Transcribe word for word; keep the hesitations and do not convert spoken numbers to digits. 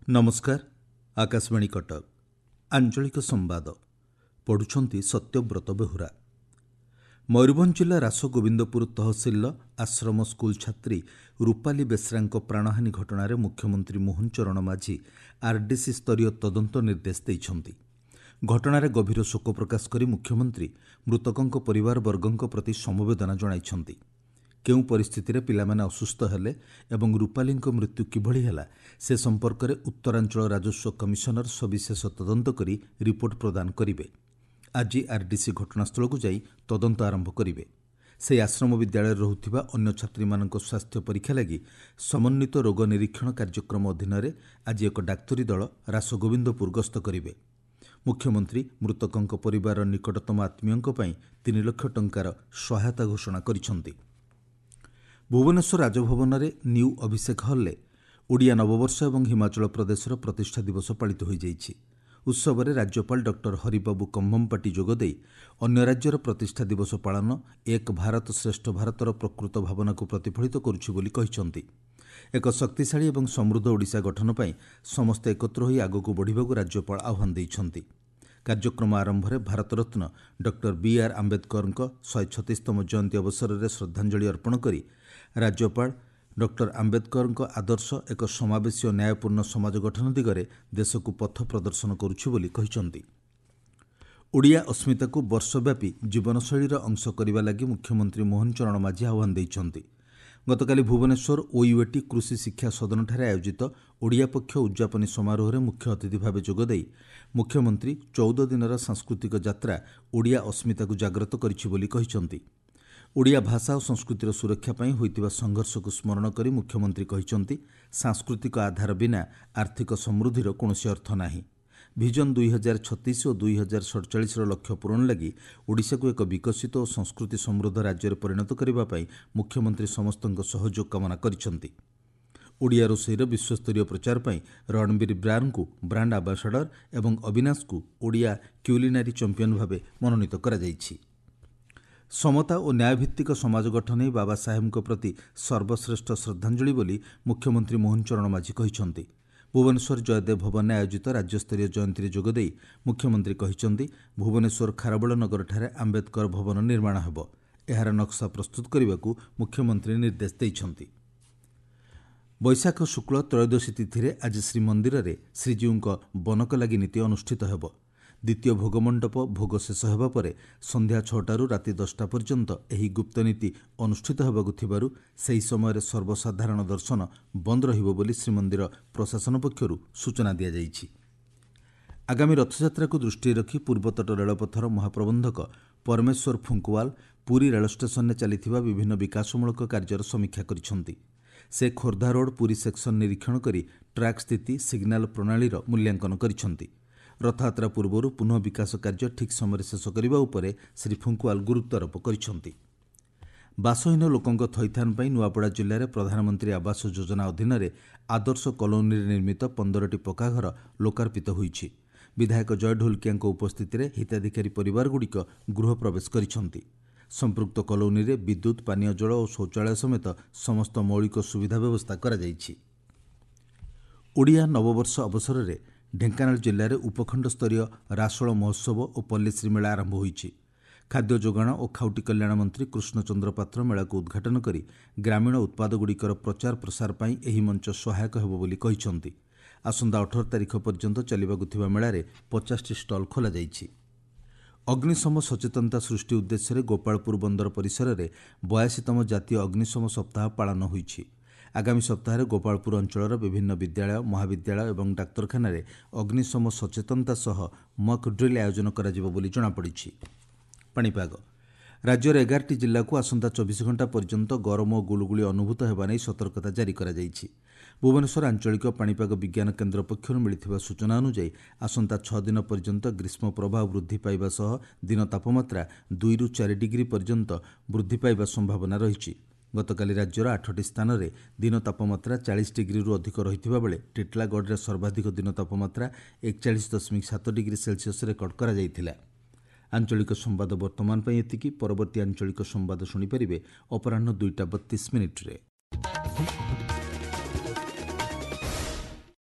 ନମସ୍କାର, ଆକାଶବାଣୀ କଟକ, ଆଞ୍ଚଳିକ ସମ୍ବାଦ ପଢ଼ୁଛନ୍ତି ସତ୍ୟବ୍ରତ ବେହୁରା। ମୟୂରଭଞ୍ଜ ଜିଲ୍ଲା ରାସଗୋବିନ୍ଦପୁର ତହସିଲର ଆଶ୍ରମ ସ୍କୁଲ ଛାତ୍ରୀ ରୂପାଲି ବେସ୍ରାଙ୍କ ପ୍ରାଣହାନୀ ଘଟଣାରେ ମୁଖ୍ୟମନ୍ତ୍ରୀ ମୋହନ ଚରଣ ମାଝୀ ଆର୍ଡିସି ସ୍ତରୀୟ ତଦନ୍ତ ନିର୍ଦ୍ଦେଶ ଦେଇଛନ୍ତି। ଘଟଣାରେ ଗଭୀର ଶୋକ ପ୍ରକାଶ କରି ମୁଖ୍ୟମନ୍ତ୍ରୀ ମୃତକଙ୍କ ପରିବାରବର୍ଗଙ୍କ ପ୍ରତି ସମବେଦନା ଜଣାଇଛନ୍ତି। କେଉଁ ପରିସ୍ଥିତିରେ ପିଲାମାନେ ଅସୁସ୍ଥ ହେଲେ ଏବଂ ରୂପାଲିଙ୍କ ମୃତ୍ୟୁ କିଭଳି ହେଲା ସେ ସମ୍ପର୍କରେ ଉତ୍ତରାଞ୍ଚଳ ରାଜସ୍ୱ କମିଶନର ସବିଶେଷ ତଦନ୍ତ କରି ରିପୋର୍ଟ ପ୍ରଦାନ କରିବେ। ଆଜି ଆର୍ଡିସି ଘଟଣାସ୍ଥଳକୁ ଯାଇ ତଦନ୍ତ ଆରମ୍ଭ କରିବେ। ସେହି ଆଶ୍ରମ ବିଦ୍ୟାଳୟରେ ରହୁଥିବା ଅନ୍ୟ ଛାତ୍ରୀମାନଙ୍କ ସ୍ୱାସ୍ଥ୍ୟ ପରୀକ୍ଷା ଲାଗି ସମନ୍ୱିତ ରୋଗ ନିରୀକ୍ଷଣ କାର୍ଯ୍ୟକ୍ରମ ଅଧୀନରେ ଆଜି ଏକ ଡାକ୍ତରୀ ଦଳ ରାସଗୋବିନ୍ଦପୁର ଗସ୍ତ କରିବେ। ମୁଖ୍ୟମନ୍ତ୍ରୀ ମୃତକଙ୍କ ପରିବାରର ନିକଟତମ ଆତ୍ମୀୟଙ୍କ ପାଇଁ ତିନି ଲକ୍ଷ ଟଙ୍କାର ସହାୟତା ଘୋଷଣା କରିଛନ୍ତି। ଭୁବନେଶ୍ୱର ରାଜଭବନରେ ନ୍ୟୁ ଅଭିଷେକ ହଲ୍ରେ ଓଡ଼ିଆ ନବବର୍ଷ ଏବଂ ହିମାଚଳ ପ୍ରଦେଶର ପ୍ରତିଷ୍ଠା ଦିବସ ପାଳିତ ହୋଇଯାଇଛି। ଉତ୍ସବରେ ରାଜ୍ୟପାଳ ଡକ୍ଟର ହରିବାବୁ କମ୍ଭମପାଟି ଯୋଗଦେଇ ଅନ୍ୟ ରାଜ୍ୟର ପ୍ରତିଷ୍ଠା ଦିବସ ପାଳନ ଏକ ଭାରତ ଶ୍ରେଷ୍ଠ ଭାରତର ପ୍ରକୃତ ଭାବନାକୁ ପ୍ରତିଫଳିତ କରୁଛି ବୋଲି କହିଛନ୍ତି। ଏକ ଶକ୍ତିଶାଳୀ ଏବଂ ସମୃଦ୍ଧ ଓଡ଼ିଶା ଗଠନ ପାଇଁ ସମସ୍ତେ ଏକତ୍ର ହୋଇ ଆଗକୁ ବଢ଼ିବାକୁ ରାଜ୍ୟପାଳ ଆହ୍ୱାନ ଦେଇଛନ୍ତି। କାର୍ଯ୍ୟକ୍ରମ ଆରମ୍ଭରେ ଭାରତରତ୍ନ ଡକ୍ଟର ବି ଆର୍ ଆମ୍ବେଦକରଙ୍କ ଶହେ ଛତିଶତମ ଜୟନ୍ତୀ ଅବସରରେ ଶ୍ରଦ୍ଧାଞ୍ଜଳି ଅର୍ପଣ କରି ରାଜ୍ୟପାଳ ଡକ୍ଟର ଆମ୍ବେଦକରଙ୍କ ଆଦର୍ଶ ଏକ ସମାବେଶୀ ଓ ନ୍ୟାୟପୂର୍ଣ୍ଣ ସମାଜ ଗଠନ ଦିଗରେ ଦେଶକୁ ପଥ ପ୍ରଦର୍ଶନ କରୁଛି ବୋଲି କହିଛନ୍ତି। ଓଡ଼ିଆ ଅସ୍ମିତାକୁ ବର୍ଷବ୍ୟାପୀ ଜୀବନଶୈଳୀର ଅଂଶ କରିବା ଲାଗି ମୁଖ୍ୟମନ୍ତ୍ରୀ ମୋହନ ଚରଣ ମାଝୀ ଆହ୍ୱାନ ଦେଇଛନ୍ତି। ଗତକାଲି ଭୁବନେଶ୍ୱର ଓୟୁଏଟି କୃଷି ଶିକ୍ଷା ସଦନଠାରେ ଆୟୋଜିତ ଓଡ଼ିଆ ପକ୍ଷ ଉଦ୍ଯାପନୀ ସମାରୋହରେ ମୁଖ୍ୟ ଅତିଥି ଭାବେ ଯୋଗଦେଇ ମୁଖ୍ୟମନ୍ତ୍ରୀ ଚଉଦ ଦିନର ସାଂସ୍କୃତିକ ଯାତ୍ରା ଓଡ଼ିଆ ଅସ୍ମିତାକୁ ଜାଗ୍ରତ କରିଛି ବୋଲି କହିଛନ୍ତି। ଓଡ଼ିଆ ଭାଷା ଓ ସଂସ୍କୃତିର ସୁରକ୍ଷା ପାଇଁ ହୋଇଥିବା ସଂଘର୍ଷକୁ ସ୍ମରଣ କରି ମୁଖ୍ୟମନ୍ତ୍ରୀ କହିଛନ୍ତି, ସାଂସ୍କୃତିକ ଆଧାର ବିନା ଆର୍ଥିକ ସମୃଦ୍ଧିର କୌଣସି ଅର୍ଥ ନାହିଁ। ଭିଜନ ଦୁଇ ହଜାର ଛତିଶ ଓ ଦୁଇ ହଜାର ସଡ଼ଚାଳିଶର ଲକ୍ଷ୍ୟ ପୂରଣ ଲାଗି ଓଡ଼ିଶାକୁ ଏକ ବିକଶିତ ଓ ସଂସ୍କୃତି ସମୃଦ୍ଧ ରାଜ୍ୟରେ ପରିଣତ କରିବା ପାଇଁ ମୁଖ୍ୟମନ୍ତ୍ରୀ ସମସ୍ତଙ୍କ ସହଯୋଗ କାମନା କରିଛନ୍ତି। ଓଡ଼ିଆ ରୋଷେଇର ବିଶ୍ୱସ୍ତରୀୟ ପ୍ରଚାର ପାଇଁ ରଣବୀର ବ୍ରାରଙ୍କୁ ବ୍ରାଣ୍ଡ ଆମ୍ବାସାଡର ଏବଂ ଅବିନାଶଙ୍କୁ ଓଡ଼ିଆ କ୍ୟୁଲିନାରୀ ଚାମ୍ପିୟନ ଭାବେ ମନୋନୀତ କରାଯାଇଛି। ସମତା ଓ ନ୍ୟାୟଭିତ୍ତିକ ସମାଜ ଗଠନ ହିଁ ବାବା ସାହେବଙ୍କ ପ୍ରତି ସର୍ବଶ୍ରେଷ୍ଠ ଶ୍ରଦ୍ଧାଞ୍ଜଳି ବୋଲି ମୁଖ୍ୟମନ୍ତ୍ରୀ ମୋହନ ଚରଣ ମାଝୀ କହିଛନ୍ତି। ଭୁବନେଶ୍ୱର ଜୟଦେବ ଭବନରେ ଆୟୋଜିତ ରାଜ୍ୟସ୍ତରୀୟ ଜୟନ୍ତୀରେ ଯୋଗଦେଇ ମୁଖ୍ୟମନ୍ତ୍ରୀ କହିଛନ୍ତି, ଭୁବନେଶ୍ୱର ଖାରବେଳ ନଗରଠାରେ ଆମ୍ବେଦକର ଭବନ ନିର୍ମାଣ ହେବ। ଏହାର ନକ୍ସା ପ୍ରସ୍ତୁତ କରିବାକୁ ମୁଖ୍ୟମନ୍ତ୍ରୀ ନିର୍ଦ୍ଦେଶ ଦେଇଛନ୍ତି। ବୈଶାଖ ଶୁକ୍ଳ ତ୍ରୟୋଦଶୀ ତିଥିରେ ଆଜି ଶ୍ରୀମନ୍ଦିରରେ ଶ୍ରୀଜୀଉଙ୍କ ବନକଲାଗି ନୀତି ଅନୁଷ୍ଠିତ ହେବ। ଦ୍ୱିତୀୟ ଭୋଗମଣ୍ଡପ ଭୋଗ ଶେଷ ହେବା ପରେ ସନ୍ଧ୍ୟା ଛଅଟାରୁ ରାତି ଦଶଟା ପର୍ଯ୍ୟନ୍ତ ଏହି ଗୁପ୍ତନୀତି ଅନୁଷ୍ଠିତ ହେବାକୁ ଥିବାରୁ ସେହି ସମୟରେ ସର୍ବସାଧାରଣ ଦର୍ଶନ ବନ୍ଦ ରହିବ ବୋଲି ଶ୍ରୀମନ୍ଦିର ପ୍ରଶାସନ ପକ୍ଷରୁ ସୂଚନା ଦିଆଯାଇଛି। ଆଗାମୀ ରଥଯାତ୍ରାକୁ ଦୃଷ୍ଟିରେ ରଖି ପୂର୍ବତଟ ରେଳପଥର ମହାପ୍ରବନ୍ଧକ ପରମେଶ୍ୱର ଫୁଙ୍କୁୱାଲ ପୁରୀ ରେଳ ଷ୍ଟେସନରେ ଚାଲିଥିବା ବିଭିନ୍ନ ବିକାଶମୂଳକ କାର୍ଯ୍ୟର ସମୀକ୍ଷା କରିଛନ୍ତି। ସେ ଖୋର୍ଦ୍ଧା ରୋଡ୍ ପୁରୀ ସେକ୍ସନ ନିରୀକ୍ଷଣ କରି ଟ୍ରାକ୍ ସ୍ଥିତି, ସିଗ୍ନାଲ ପ୍ରଣାଳୀର ମୂଲ୍ୟାଙ୍କନ କରିଛନ୍ତି। ରଥଯାତ୍ରା ପୂର୍ବରୁ ପୁନଃ ବିକାଶ କାର୍ଯ୍ୟ ଠିକ୍ ସମୟରେ ଶେଷ କରିବା ଉପରେ ଶ୍ରୀ ଫୁଙ୍କୁୱାଲ ଗୁରୁତ୍ୱାରୋପ କରିଛନ୍ତି। ବାସହୀନ ଲୋକଙ୍କ ଥଇଥାନ ପାଇଁ ନୂଆପଡ଼ା ଜିଲ୍ଲାରେ ପ୍ରଧାନମନ୍ତ୍ରୀ ଆବାସ ଯୋଜନା ଅଧୀନରେ ଆଦର୍ଶ କଲୋନୀରେ ନିର୍ମିତ ପନ୍ଦରଟି ପକ୍କାଘର ଲୋକାର୍ପିତ ହୋଇଛି। ବିଧାୟକ ଜୟ ଢୋଲକିଆଙ୍କ ଉପସ୍ଥିତିରେ ହିତାଧିକାରୀ ପରିବାରଗୁଡ଼ିକ ଗୃହ ପ୍ରବେଶ କରିଛନ୍ତି। ସମ୍ପୃକ୍ତ କଲୋନୀରେ ବିଦ୍ୟୁତ୍, ପାନୀୟ ଜଳ ଓ ଶୌଚାଳୟ ସମେତ ସମସ୍ତ ମୌଳିକ ସୁବିଧା ବ୍ୟବସ୍ଥା କରାଯାଇଛି। ଓଡ଼ିଆ ନବବର୍ଷ ଅବସରରେ ଢେଙ୍କାନାଳ ଜିଲ୍ଲାରେ ଉପଖଣ୍ଡ ସ୍ତରୀୟ ରାସୋଳ ମହୋତ୍ସବ ଓ ପଲ୍ଲୀଶ୍ରୀ ମେଳା ଆରମ୍ଭ ହୋଇଛି। ଖାଦ୍ୟ ଯୋଗାଣ ଓ ଖାଉଟି କଲ୍ୟାଣ ମନ୍ତ୍ରୀ କୃଷ୍ଣଚନ୍ଦ୍ର ପାତ୍ର ମେଳାକୁ ଉଦ୍ଘାଟନ କରି ଗ୍ରାମୀଣ ଉତ୍ପାଦଗୁଡ଼ିକର ପ୍ରଚାର ପ୍ରସାର ପାଇଁ ଏହି ମଞ୍ଚ ସହାୟକ ହେବ ବୋଲି କହିଛନ୍ତି। ଆସନ୍ତା ଅଠର ତାରିଖ ପର୍ଯ୍ୟନ୍ତ ଚାଲିବାକୁ ଥିବା ମେଳାରେ ପଚାଶଟି ଷ୍ଟଲ୍ ଖୋଲାଯାଇଛି। ଅଗ୍ନିଶମ ସଚେତନତା ସୃଷ୍ଟି ଉଦ୍ଦେଶ୍ୟରେ ଗୋପାଳପୁର ବନ୍ଦର ପରିସରରେ ବୟାଅଶୀତମ ଜାତୀୟ ଅଗ୍ନିଶମ ସପ୍ତାହ ପାଳନ ହୋଇଛି। ଆଗାମୀ ସପ୍ତାହରେ ଗୋପାଳପୁର ଅଞ୍ଚଳର ବିଭିନ୍ନ ବିଦ୍ୟାଳୟ, ମହାବିଦ୍ୟାଳୟ ଏବଂ ଡାକ୍ତରଖାନାରେ ଅଗ୍ନିଶମ ସଚେତନତା ସହ ମକ୍ ଡ୍ରିଲ୍ ଆୟୋଜନ କରାଯିବ ବୋଲି ଜଣାପଡ଼ିଛି। ପାଣିପାଗ ରାଜ୍ୟର ଏଗାରଟି ଜିଲ୍ଲାକୁ ଆସନ୍ତା ଚବିଶ ଘଣ୍ଟା ପର୍ଯ୍ୟନ୍ତ ଗରମ ଓ ଗୁଳୁଗୁଳି ଅନୁଭୂତ ହେବା ନେଇ ସତର୍କତା ଜାରି କରାଯାଇଛି। ଭୁବନେଶ୍ୱର ଆଞ୍ଚଳିକ ପାଣିପାଗ ବିଜ୍ଞାନ କେନ୍ଦ୍ର ପକ୍ଷରୁ ମିଳିଥିବା ସୂଚନା ଅନୁଯାୟୀ ଆସନ୍ତା ଛଅ ଦିନ ପର୍ଯ୍ୟନ୍ତ ଗ୍ରୀଷ୍ମ ପ୍ରବାହ ବୃଦ୍ଧି ପାଇବା ସହ ଦିନ ତାପମାତ୍ରା ଦୁଇରୁ ଚାରି ଡିଗ୍ରୀ ପର୍ଯ୍ୟନ୍ତ ବୃଦ୍ଧି ପାଇବା ସମ୍ଭାବନା ରହିଛି। ଗତକାଲି ରାଜ୍ୟର ଆଠଟି ସ୍ଥାନରେ ଦିନ ତାପମାତ୍ରା ଚାଳିଶ ଡିଗ୍ରୀରୁ ଅଧିକ ରହିଥିବା ବେଳେ ଟିଟଲାଗଡ଼ରେ ସର୍ବାଧିକ ଦିନ ତାପମାତ୍ରା ଏକଚାଳିଶ ଦଶମିକ ସାତ ଡିଗ୍ରୀ ସେଲସିୟସ୍ ରେକର୍ଡ କରାଯାଇଥିଲା। ଆଞ୍ଚଳିକ ସମ୍ବାଦ ବର୍ତ୍ତମାନ ପାଇଁ ଏତିକି। ପରବର୍ତ୍ତୀ ଆଞ୍ଚଳିକ ସମ୍ବାଦ ଶୁଣିପାରିବେ ଅପରାହ୍ନ ଦୁଇଟା ବତିଶ ମିନିଟ୍ରେ।